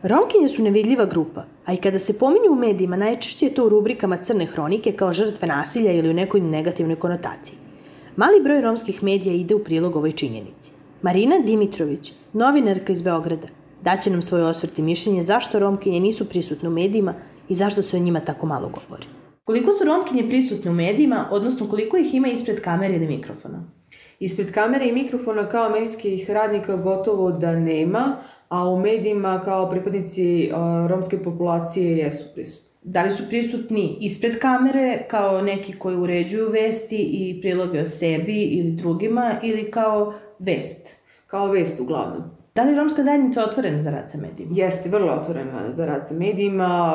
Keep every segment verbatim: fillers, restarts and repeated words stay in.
Romkinje su nevidljiva grupa, a i kada se pominju u medijima, najčešće je to u rubrikama crne hronike kao žrtve nasilja ili u nekoj negativnoj konotaciji. Mali broj romskih medija ide u prilog ovoj činjenici. Marina Dimitrović, novinarka iz Beograda, daće nam svoj osvrt i mišljenje zašto romkinje nisu prisutne u medijima i zašto se o njima tako malo govori. Koliko su romkinje prisutne u medijima, odnosno koliko ih ima ispred kamere ili mikrofona? Ispred kamere i mikrofona kao medijskih radnika gotovo da nema, a u medijima kao pripadnici romske populacije jesu prisutni. Da li su prisutni ispred kamere kao neki koji uređuju vesti i priloge o sebi ili drugima ili kao vest? Kao vest uglavnom. Da li romska zajednica otvorena za rad sa medijima? Jeste, vrlo otvorena za rad sa medijima.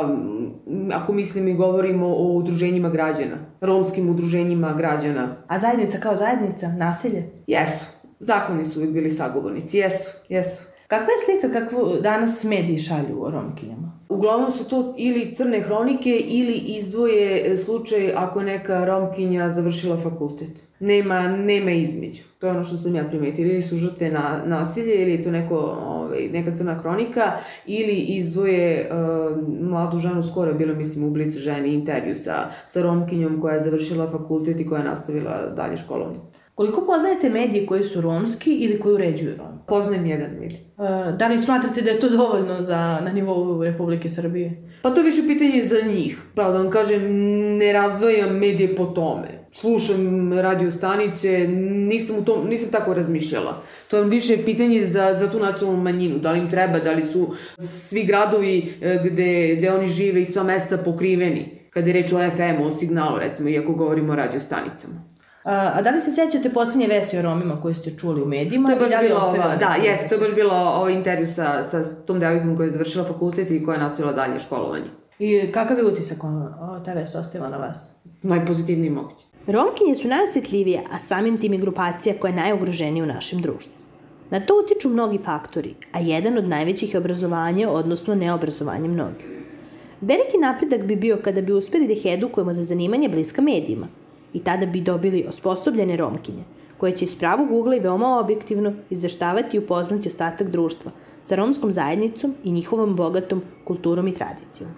Ako mislim i govorimo o udruženjima građana, romskim udruženjima građana. A zajednica kao zajednica, naselje? Jesu. Zahvalni su uvijek bili sagovornici. Jesu, jesu. Kakva je slika kakvu danas mediji šalju o romkinjama? Uglavnom su to ili crne hronike ili izdvoje slučaj ako neka romkinja završila fakultet. Nema, nema između. To je ono što sam ja primetila. Ili su žrtve na, nasilje, ili je to neko, ovaj, neka crna hronika, ili izdvoje uh, mladu ženu, skoro je bilo, mislim, u Blic ženi intervju sa, sa romkinjom koja je završila fakultet i koja je nastavila dalje školovanje. Koliko poznajete medije koji su romski ili koji uređuju Roma? Poznajem jedan medij. Uh, da li smatrate da je to dovoljno za, na nivou Republike Srbije? Pa to je više pitanje za njih. Pravo da vam kažem, ne razdvajam medije po tome. Slušam radio stanice, nisam, u tom, nisam tako razmišljala. To je više pitanje za, za tu nacionalnu manjinu. Da li im treba, da li su svi gradovi gde, gde oni žive i sva mesta pokriveni. Kada je reč o F M-u, o signalu, recimo, iako govorimo o radio stanicama. A da li se sećate posljednje vesti o Romima koje ste čuli u medijima? To je baš bilo, ova, da, jeste, to je baš bilo ovaj intervju sa, sa tom devojkom koja je završila fakultet i koja je nastavila dalje školovanje. I kakav je utisak ta vest ostavila na vas? Najpozitivniji moguće. Romkinje su najosjetljivije, a samim tim i grupacija koja je najugroženija u našem društvu. Na to utiču mnogi faktori, a jedan od najvećih je obrazovanje, odnosno neobrazovanje mnogih. Veliki napredak bi bio kada bi uspeli da ih edukujemo za zanimanje bliska medijima, i tada bi dobili osposobljene romkinje, koje će iz pravog ugla i veoma objektivno izveštavati i upoznati ostatak društva sa romskom zajednicom i njihovom bogatom kulturom i tradicijom.